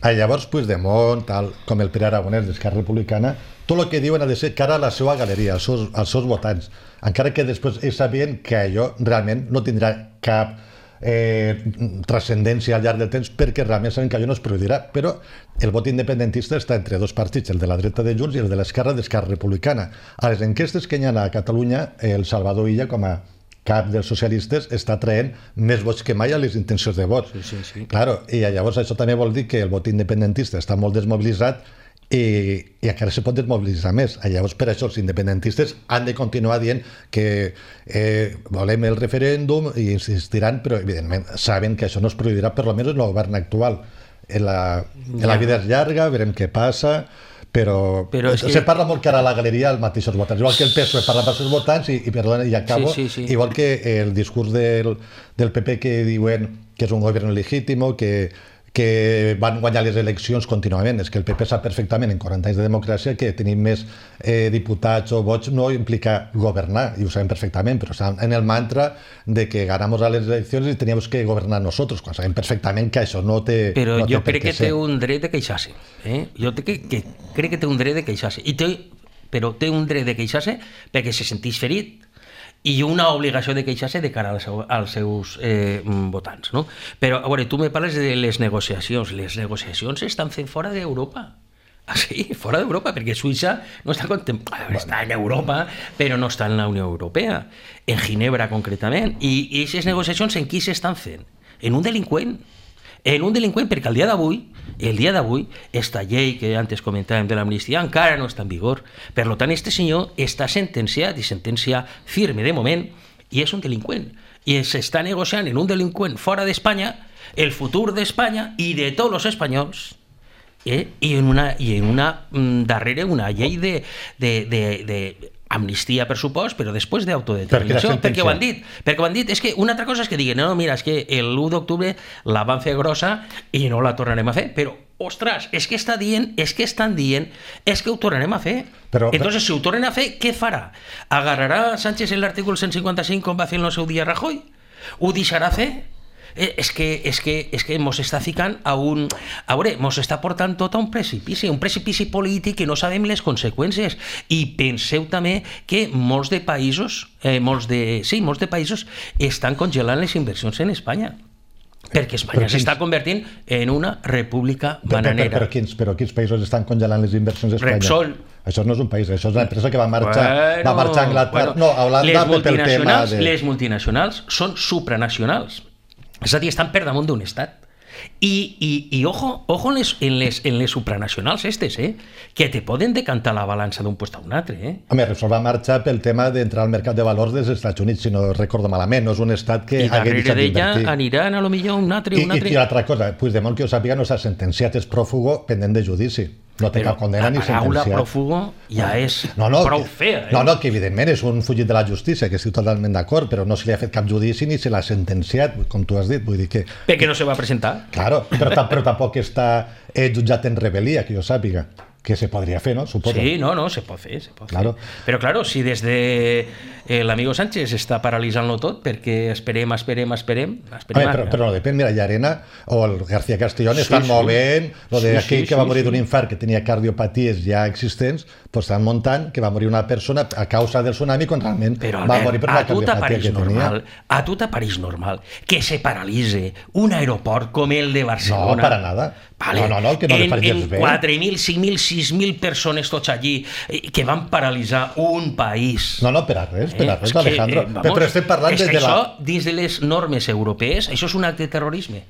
Llavors, Puigdemont, tal com el Pere Aragonès d'Esquerra Republicana, tot el que diuen ha de ser cara a la seva galeria, als seus, als seus votants, encara que després ells sabien que allò realment no tindrà cap eh, transcendència al llarg del temps, perquè realment saben que allò no es produirà. Però el vot independentista està entre dos partits, el de la dreta de Junts i el de l'esquerra d'Esquerra Republicana. A les enquestes que hi ha a Catalunya, el Salvador Illa, com a cap dels socialistes, està traient més vots que mai a les intencions de vot. Sí, sí, sí. Claro, i llavors això també vol dir que el vot independentista està molt desmobilitzat i, i encara se pot desmobilitzar més. Llavors, per això els independentistes han de continuar dient que eh, volem el referèndum i insistiran, però evidentment saben que això no es produirà, per almenys en el govern actual. En la, en la vida és llarga, veurem què passa, però, però és que... se parla molt cara a la galeria als mateixos votants, igual que el P S O E parla pels seus votants i, i perdona, i acabo, sí, sí, sí. igual que el discurs del, del P P que diuen que és un govern legítimo, que que van guanyar les eleccions contínuament. És que el P P sap perfectament en quaranta anys de democràcia que tenir més eh, diputats o vots no implica governar, i ho sabem perfectament, però estan en el mantra de que ganamos a les eleccions i teníem que governar nosaltres, quan sabem perfectament que això no té Però no té jo per crec què que ser. té un dret de queixar-se. Eh? Jo te, que, que, crec que té un dret de queixar-se. I té, però té un dret de queixar-se perquè se sentís ferit, i una obligació de queixar-se de cara als, als seus eh, votants, no? Però, a veure, tu me parles de les negociacions. Les negociacions estan fent fora d'Europa. Ah, sí, fora d'Europa, perquè Suïssa no està contemplada, bueno. Està en Europa, però no està en la Unió Europea, en Ginebra concretament. I aquestes negociacions en qui s'estan fent? En un delinqüent, en un delinqüent, perquè el dia d'avui, el dia d'avui, esta llei que antes comentàvem de l'amnistia encara no està en vigor. Per tant, este senyor està sentenciat, i sentència firme de moment, i és un delinqüent. I s'està negociant en un delinqüent fora d'Espanya el futur d'Espanya i de tots els espanyols. Eh? I en una, i en una mm, darrere una llei de, de, de, de amnistia, per supost, però després d'autodeterminació, per perquè ho han dit. Perquè ho han dit, és que una altra cosa és que diguen, no, mira, és que l'u d'octubre la van fer grossa i no la tornarem a fer, però, ostres, és que està dient, és que estan dient, és que ho tornarem a fer. Però, Entonces, si ho tornen a fer, què farà? Agarrarà Sánchez en l'article cent cinquanta-cinc com va fer en el seu dia Rajoy? Ho deixarà fer? És que, és que, és que mos està ficant a un... A veure, mos està portant tot a un precipici, un precipici polític que no sabem les conseqüències. I penseu també que molts de països, eh, molts de, sí, molts de països estan congelant les inversions en Espanya. Perquè Espanya s'està convertint en una república bananera. Però, però, quins, però quins països estan congelant les inversions a Espanya? Repsol. Això no és un país, això és una empresa que va marxar, bueno, va marxar a Anglaterra, bueno, no, a Holanda pel tema de... Les multinacionals són supranacionals. És a dir, estan per damunt d'un estat. I, i, i ojo, ojo en, les, en, les, en les supranacionals estes, eh? Que te poden decantar la balança d'un lloc a un altre. Eh? Home, Repsol va marxar pel tema d'entrar al mercat de valors dels Estats Units, si no recordo malament. No és un estat que I hagués deixat d'invertir. I darrere d'ella aniran a lo millor un altre, un altre. I, i l'altra cosa, Puigdemont, que ho sàpiga, no s'ha sentenciat, és pròfugo pendent de judici. No té cap condena ni sentenciat. La paraula pròfugo ja és no, no, prou que, fea. Eh? No, no, que evidentment és un fugit de la justícia, que estic totalment d'acord, però no se li ha fet cap judici ni se l'ha sentenciat, com tu has dit. Vull dir que... Perquè no se va presentar. Claro, però, però tampoc està eh, jutjat en rebel·lia, que jo sàpiga. Que se podria fer, ¿no? Suposo. Sí, no, no, se pot fer, se pot claro. fer. Però, claro, si des de eh, l'amigo Sánchez està paralitzant-lo tot, perquè esperem, esperem, esperem... esperem Home, però, però no depèn, mira, Llarena o el García Castellón sí, estan sí. movent, lo de sí, aquell sí, que va morir sí, d'un infart, que tenia cardiopaties ja existents, pues estan muntant que va morir una persona a causa del tsunami quan realment però, va morir per una cardiopatia que normal, tenia. A tu t'apareix normal que se paralitze un aeroport com el de Barcelona? No, para nada. Vale. No, no, no, que no en, en bé. quatre mil, cinc mil, sis mil persones tots allí que van paralitzar un país. No, no, per a res, per a res, eh? Alejandro. Que, eh, vamos, però estem parlant és de, que de la... això, dins de les normes europees, això és un acte de terrorisme.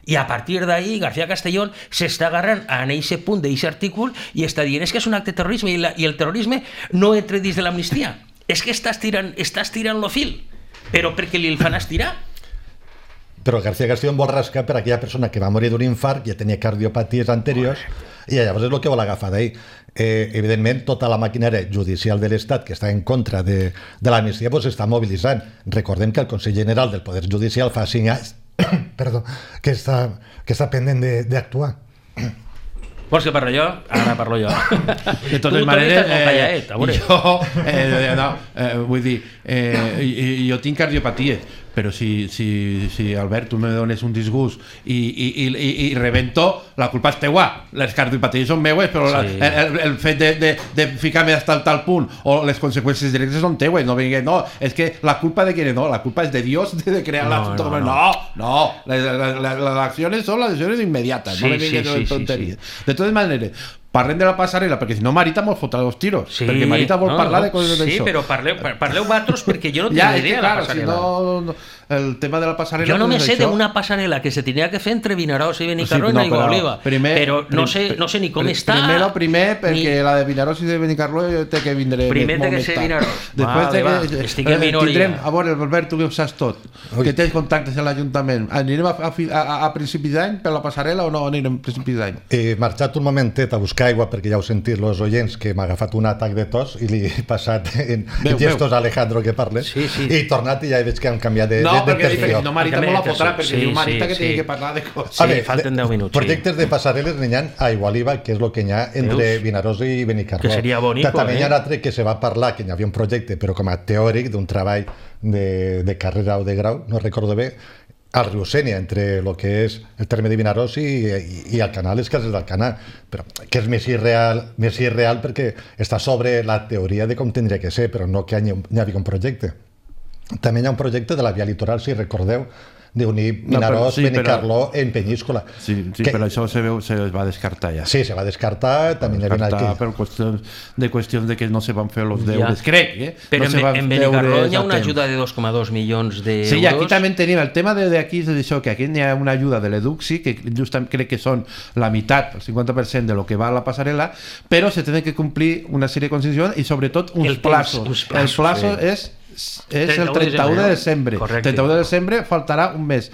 I a partir d'ahí, García Castellón s'està agarrant en aquest punt d'aquest artícul i està dient és que és un acte de terrorisme i, la, i el terrorisme no entra dins de l'amnistia. És que estàs tirant, estàs tirant lo fil, però perquè li el fan estirar. Però García Castellón vol rascar per aquella persona que va morir d'un infart, ja tenia cardiopaties anteriors, i llavors és el que vol agafar d'ahir. Eh, evidentment, tota la maquinària judicial de l'Estat que està en contra de, de l'amnistia pues, està mobilitzant. Recordem que el Consell General del Poder Judicial fa cinc anys perdó, que, està, que està pendent d'actuar. Vols que parlo jo? Ara parlo jo. De totes maneres, eh, jo, eh, no, eh, vull dir, eh, jo tinc cardiopaties, però si, si, si Albert, tu me dones un disgust i, i, i, i rebento, la culpa és teua. Les cardiopaties són meues, però sí. la, el, el fet de, de, de ficar-me fins al tal punt o les conseqüències directes són teues. No, vingué, no, és que la culpa de qui no, la culpa és de Dios de crear no, la... No, no, no, les, les, les accions són les accions immediates, sí, no me vingué sí, sí, tonteries. Sí, sí. De totes maneres, parlem de la passarel·la, perquè si no Marita mos fotrà dos tiros, sí, perquè Marita vol no, parlar no, de coses d'això. Sí, però parleu, parleu vosaltres perquè jo no tinc ja, idea de la passarel·la. Si no, no, el tema de la passarel·la... Jo no me sé d'una passarel·la que se tenia que fer entre Vinaròs i Benicarló sí, no, i Aigua Oliva, primer, però no sé, no sé ni com prim, està... Primero, primer, perquè ni... la de Vinaròs i de Benicarló té que vindré... Primer té que ser Vinaròs. Després vale, que, estic en minoria. Tindrem, a veure, Albert, tu que ho saps tot, Ui. que tens contactes en l'Ajuntament. Anirem a, a, a, a principis d'any per la passarel·la o no anirem a principis d'any? He marxat un momentet a buscar aigua perquè ja ho sentit els oients que m'ha agafat un atac de tos i li he passat en veu, gestos a Alejandro que parles sí, sí. i he tornat i ja veig que han canviat de, no, de, de perfil. No, Marita molt la fotrà perquè sí, diu Marita sí, que sí. Té que parlar de coses. Sí, veure, falten deu minuts. Projectes sí. de passarel·les n'hi ha a Aigualiva, que és el que n'hi ha entre Veus? Vinaròs i Benicarló. Que seria bonico, també eh? hi ha un altre que se va parlar, que n'hi havia un projecte, però com a teòric d'un treball de, de carrera o de grau, no recordo bé, al riu Sénia, entre el que és el terme de Vinaròs i, i, i el canal, les cases del canal, però que és més irreal, més irreal perquè està sobre la teoria de com tindria que ser, però no que hi, hi havia un projecte. També hi ha un projecte de la via litoral, si recordeu, d'unir Vinaròs, sí, Benicarló però... en Penyíscola. Sí, sí que... però això se, veu, se va descartar ja. Sí, se va descartar, també hi havia aquí. Per qüestions de qüestions de que no se van fer els deures, ja. crec, eh? Però no en, se en Benicarló hi ha una ajuda de dos coma dos milions d'euros. Sí, i aquí també tenim el tema d'aquí, és això, que aquí hi ha una ajuda de l'Eduxi, que justament crec que són la meitat, el cinquanta per cent de lo que va a la passarel·la, però se tenen que complir una sèrie de condicions i sobretot uns el plazos. Temps, uns plazos. El plazo sí. és és el trenta-u de desembre. Correcte. trenta-u de desembre faltarà un mes.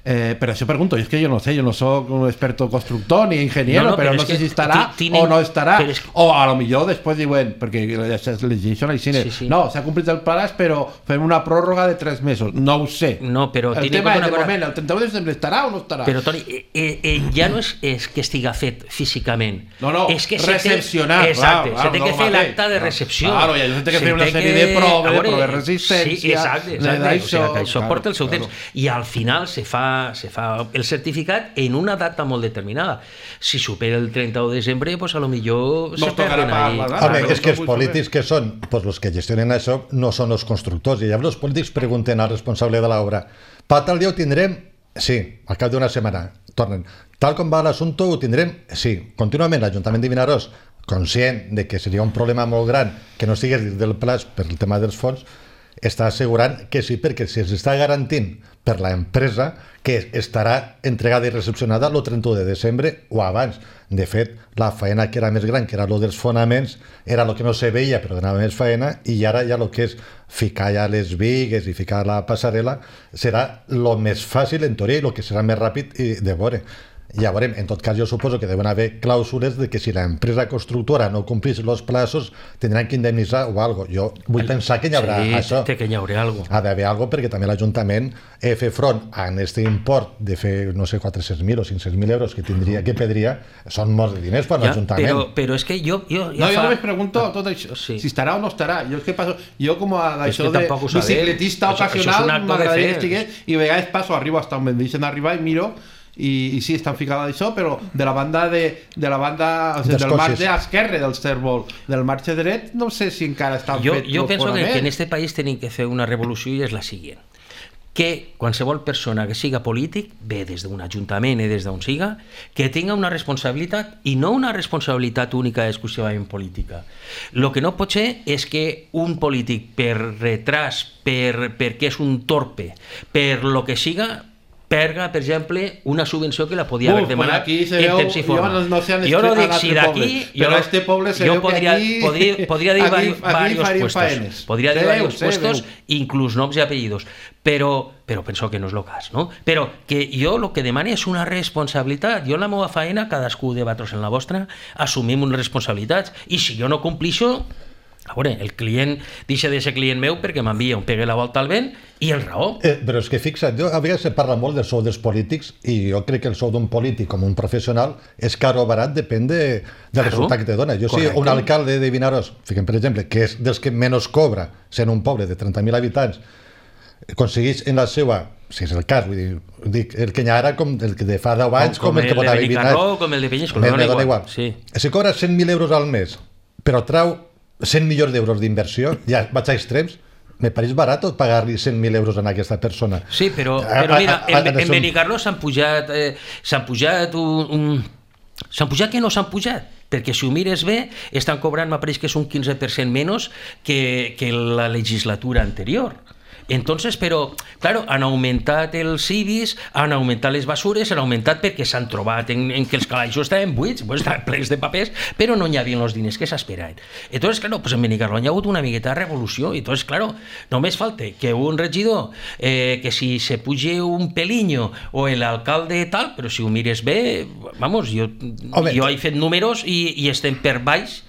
Eh, pero eso pregunto, yo es que yo no sé, yo no soy un experto constructor ni ingeniero, no, no, pero, pero no sé si estará tienen, o no estará, es que... o a lo mejor después diuen, porque legislation al cine, sí, sí. no, se ha cumplido el plazo, pero fem una prórroga de tres meses, no ho sé. No, però el tema és, de cosa... moment, el trenta-u de desembre estarà o no estarà? Però, Toni, eh, eh, ja no és, és que estiga fet físicament. No, no, és que recepcionar. Exacte, clar, se té no que fer l'acte de recepció. Claro, i se té que fer una sèrie de proves, de proves de resistència. Sí, exacte, exacte. O sigui, que això porta el seu temps. I al final se fa, se fa el certificat en una data molt determinada. Si supera el trenta-u de desembre, pues a lo millor no se perden ahí. Home, és que els polítics que són, pues los que gestionen això no són els constructors, i llavors els polítics pregunten al responsable de l'obra, per tal dia ho tindrem? Sí, al cap d'una setmana tornen. Tal com va l'assumpte ho tindrem? Sí. Contínuament l'Ajuntament de Vinaròs, conscient de que seria un problema molt gran que no estigués dins del plaç per el tema dels fons, està assegurant que sí, perquè si s'està garantint per l'empresa que estarà entregada i recepcionada el trenta-u de desembre o abans. De fet, la faena que era més gran, que era el dels fonaments, era el que no se veia, però donava més faena, i ara ja el que és ficar ja les bigues i ficar la passarel·la serà el més fàcil, en teoria, i el que serà més ràpid de veure. Ja veurem, en tot cas jo suposo que deuen haver clàusules de que si l'empresa constructora no complís els plazos tindran que indemnitzar o algo. Jo vull el... pensar que hi haurà sí, això. Sí, que hi haurà algo. Ha d'haver algo perquè també l'Ajuntament eh, fer front a aquest import de fer, no sé, quatre-cents mil o cinc-cents mil euros que tindria, que pedria, són molts de diners per l'Ajuntament. Però, però és que jo... jo ja no, fa... jo només pregunto tot això, sí. si estarà o no estarà. Jo és que passo, jo com a d'això de bicicletista ocasional m'agradaria que estigués i a vegades passo, arribo hasta on em deixen arribar i miro i, i sí, estan ficades això, però de la banda de, de la banda, o sigui, del marge esquerre del cèrvol, del marge dret no sé si encara estan jo, fet jo penso que, que en este país tenim que fer una revolució i és la següent, que qualsevol persona que siga polític, bé des d'un ajuntament i des d'on siga, que tinga una responsabilitat i no una responsabilitat única exclusivament política. Lo que no pot ser és que un polític per retras, per, perquè és un torpe, per lo que siga, perga, per exemple, una subvenció que la podia haver demanat en temps i forma. Jo no, no jo no dic si d'aquí... Però este poble se veu podria, que aquí... Podria, podria dir aquí, varios aquí puestos. Faenes. Podria dir se varios veu, puestos, veu. inclús noms i apellidos. Però, però penso que no és el cas, no? Però que jo el que demano és una responsabilitat. Jo en la meva faena, cadascú de vosaltres en la vostra, assumim unes responsabilitats. I si jo no complixo, a veure, el client deixa de ser client meu perquè m'envia un pegue la volta al vent i el raó. Eh, però és que fixa't, jo, a vegades se parla molt del sou dels polítics i jo crec que el sou d'un polític com un professional és car o barat, depèn de, del claro, resultat que te dona. Jo sí, un alcalde de Vinaròs, fiquem per exemple, que és dels que menys cobra, sent un poble de trenta mil habitants, aconsegueix en la seva, si és el cas, vull dir, dic, el que hi ha ara com el que de fa deu anys, com, com el que pot haver vinat, com el de Penyíscola, me dona igual. Sí. Si cobra cent mil euros al mes, però trau cent milions d'euros d'inversió, ja vaig a extrems, me pareix barat pagar-li cent mil euros a aquesta persona. Sí, però, però mira, en, en, en Benicarló s'han pujat, eh, s'han pujat un, un... s'han pujat que no s'han pujat, perquè si ho mires bé, estan cobrant, m'apareix que és un quinze per cent menys que, que la legislatura anterior. Entonces, però, claro, han augmentat els I B I S, han augmentat les basures, han augmentat perquè s'han trobat en, en que els calaixos estaven buits, pues, estaven plens de papers, però no hi havia els diners que s'esperaven. Entonces, claro, pues en Benicarló hi ha hagut una miqueta de revolució, i entonces, claro, només falta que un regidor, eh, que si se puge un peliño o l'alcalde tal, però si ho mires bé, vamos, jo, jo he fet números i, i estem per baix,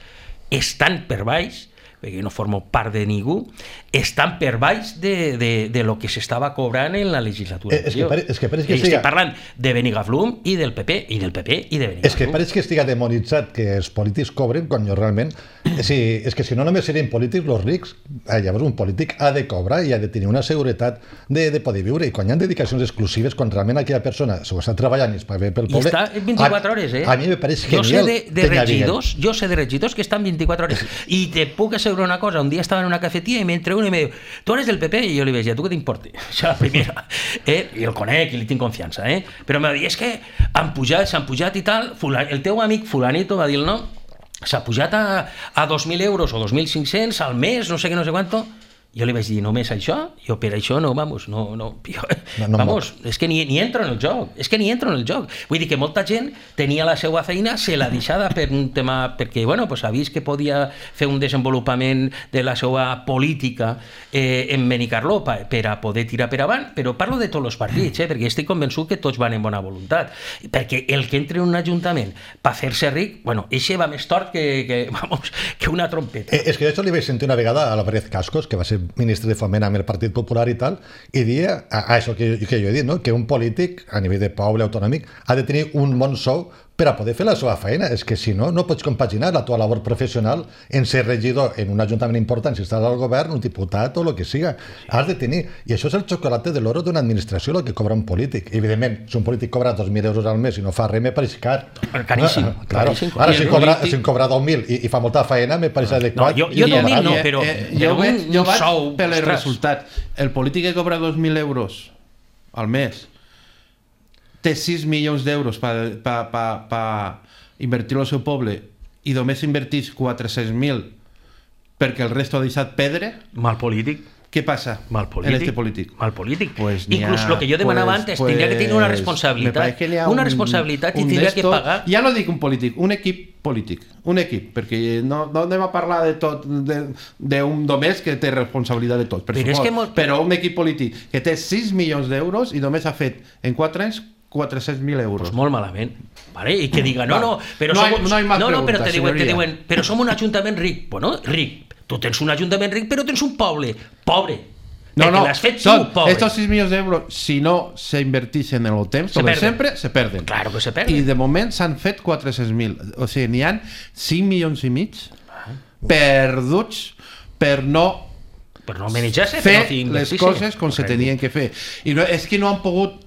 estan per baix, perquè no formo part de ningú, estan per baix de, de, de lo que s'estava cobrant en la legislatura. Eh, és que pare, és que pareix que estic siga... parlant de Benigaflum i del P P, i del P P i de Benigaflum. És que pareix que estiga demonitzat que els polítics cobren quan jo realment... Sí, és que si no només serien polítics els rics, eh, llavors un polític ha de cobrar i ha de tenir una seguretat de, de poder viure, i quan hi ha dedicacions exclusives, quan realment aquella persona s'ho està treballant i es paga bé pel poble... I està vint-i-quatre hores, eh? A mi me pareix genial. Jo sé de, de regidors, jo sé de regidors que estan vint-i-quatre hores, i te puc assegurar sobre una cosa. Un dia estava en una cafeteria i m'entra un i me diu, tu eres del P P? I jo li vaig dir, tu què t'importa? Això la primera. Eh? I el conec i li tinc confiança, eh? Però m'ha dit, és que han pujat, s'han pujat i tal, el teu amic fulanito va dir el nom, s'ha pujat a, a dos mil euros o dos mil cinc-cents al mes, no sé què, no sé quanto. Jo li vaig dir, només això? Jo per això no, vamos, no, no, jo, no, no vamos, no. És que ni, ni entro en el joc, és que ni entro en el joc. Vull dir que molta gent tenia la seva feina, se l'ha deixada per un tema, perquè, bueno, pues ha vist que podia fer un desenvolupament de la seva política eh, en Benicarló per, per a poder tirar per avant, però parlo de tots els partits, eh, perquè estic convençut que tots van en bona voluntat, perquè el que entre en un ajuntament per fer-se ric, bueno, eixe va més tort que, que, vamos, que una trompeta. Eh, és que això li vaig sentir una vegada a la Pérez Cascos, que va ser ministre de Foment amb el Partit Popular i tal, i dia, a, a això que, que jo he dit, no? Que un polític a nivell de poble autonòmic ha de tenir un bon sou per a poder fer la seva feina. És que si no, no pots compaginar la teva labor professional en ser regidor en un ajuntament important, si estàs al govern, un diputat o el que siga. Has de tenir. I això és el xocolate de l'oro d'una administració, el que cobra un polític. Evidentment, si un polític cobra dos mil euros al mes i no fa res, me pareix car. Caríssim. Ah, claro. Ara, si cobra, si cobra dos mil i, i fa molta feina, me pareix adequat. No, jo, jo dos mil no, però, eh, eh, però jo un, jo un sou... per el resultat. El polític que cobra dos mil euros al mes té sis milions d'euros per pa, pa, pa invertir al seu poble i només invertís quatre-cents mil perquè el resto ha deixat pedre. Mal polític. Què passa mal polític, en este polític? Mal polític. Pues Inclús el que jo demanava pues, antes, pues, tindria que tenir una responsabilitat. Una responsabilitat i tindria que pagar... Ja no dic un polític, un equip polític. Un equip, perquè no, no anem a parlar de tot, d'un només que té responsabilitat de tot, per però, suport, molt... però un equip polític que té sis milions d'euros i només ha fet en quatre anys quatre-cents mil euros. Pues molt malament. Vale? I que diga, no, no, però no, som, hay, no, hay más no, no, preguntas, però te diuen, te señoría. diuen, però som un ajuntament ric. Bueno, ric. Tu tens un ajuntament ric, però tens un poble pobre. No, no, l'has fet son, tu, pobre. Estos seis millones de euros, si no se invertixen en el temps, se com sempre, se perden. Claro que se perden. I de moment s'han fet quatre-cents mil. O sigui, n'hi ha cinc milions i mig perduts per no per no manejar-se, fer per no les coses com se tenien que fer. I no, és que no han pogut...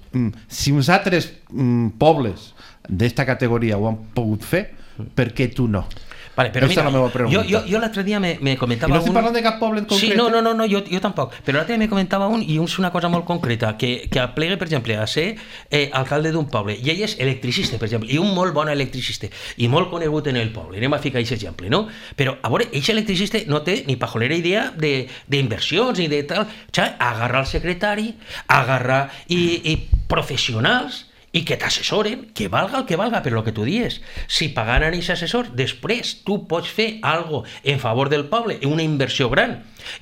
Si uns altres mm, pobles d'esta categoria ho han pogut fer, per què tu no? Vale, però Esta mira, és la jo, jo, jo l'altre dia me, me comentava I no estic un... parlant de cap poble en concret. Sí, no, no, no, no jo, jo tampoc. Però l'altre dia me comentava un, i és una cosa molt concreta, que, que aplega, per exemple, a ser eh, alcalde d'un poble, i ell és electricista, per exemple, i un molt bon electricista, i molt conegut en el poble. Anem a ficar aquest exemple, no? Però, a veure, aquest electricista no té ni pajolera idea d'inversions ni de tal. O sigui, agarrar el secretari, agarrar i, i professionals i que t'assessoren, que valga el que valga, però el que tu dius, si pagant a aquest assessor, després tu pots fer algo en favor del poble, una inversió gran,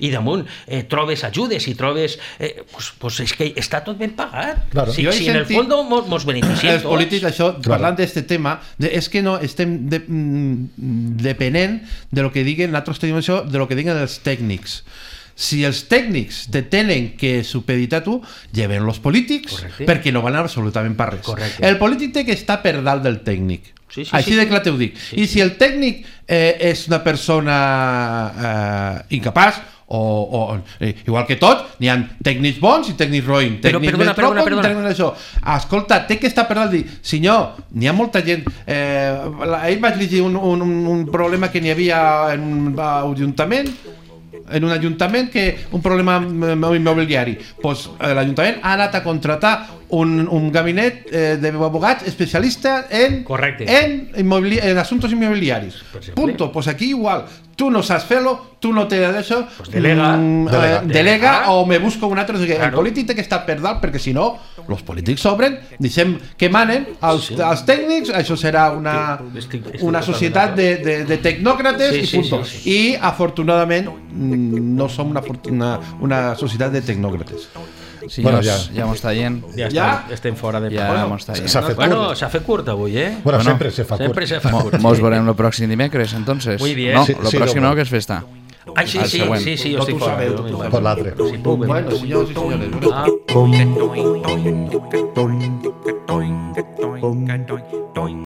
i damunt eh, trobes ajudes i trobes... Eh, pues, pues és que està tot ben pagat. Claro. Si, si en el fons mos, mos beneficiem els tots. polítics, això, Claro. parlant d'aquest tema, de, és que no estem de, mm, depenent de lo que diguen, nosaltres tenim això, de lo que diguen els tècnics. Si els tècnics te tenen que supeditar tu, lleven els polítics. Correcte. Perquè no van absolutament per res. Correcte. El polític té que estar per dalt del tècnic. Sí, sí, Així sí, de sí. clar t'ho dic. Sí, I sí. si el tècnic eh, és una persona eh, incapaç, o, o eh, igual que tot, n'hi ha tècnics bons i tècnics roïn, Però, tècnics perdona, perdona, metrópol, perdona. tècnics això. Escolta, té que estar per dalt, dir, senyor, n'hi ha molta gent, eh, ahir vaig llegir un, un, un problema que n'hi havia en un ajuntament, en un ajuntament que un problema immobiliari, pues, l'Ajuntament ha anat a contratar un, un gabinet eh, d'abogats especialista en, en, en asuntos inmobiliaris. Punto. Pues aquí igual. Tú no sabes fer-lo, tú no te d'això, pues delega, mm, delega, eh, delega delega o me busco un altre. O sigui, claro. El polític té que estar per dalt, perquè si no, els polítics s'obren, deixem que manen els, sí. els tècnics, això serà una, estic, estic una societat de, de, de tecnòcrates sí, i punto. Sí, sí, sí. I afortunadament no som una, una, una societat de tecnòcrates. Sí, bueno, ja, ja. ja m'ho està dient. Ja, ja? Estem, estem fora de... Ja bueno, m'ho està dient. S'ha fet bueno, curt. s'ha fet curt avui, eh? Bueno, bueno sempre se fa curt. Sempre se fa curt. Mos veurem el pròxim dimecres, entonces. Muy bien. No, Sí, el sí, pròxim no, no, que és festa. Ai, sí, sí, sí, sí, jo estic fora. Per l'altre. Si puc, Bueno, senyors i senyores. Ah. Toing, toing, toing, toing, toing, toing, toing, toing, toing.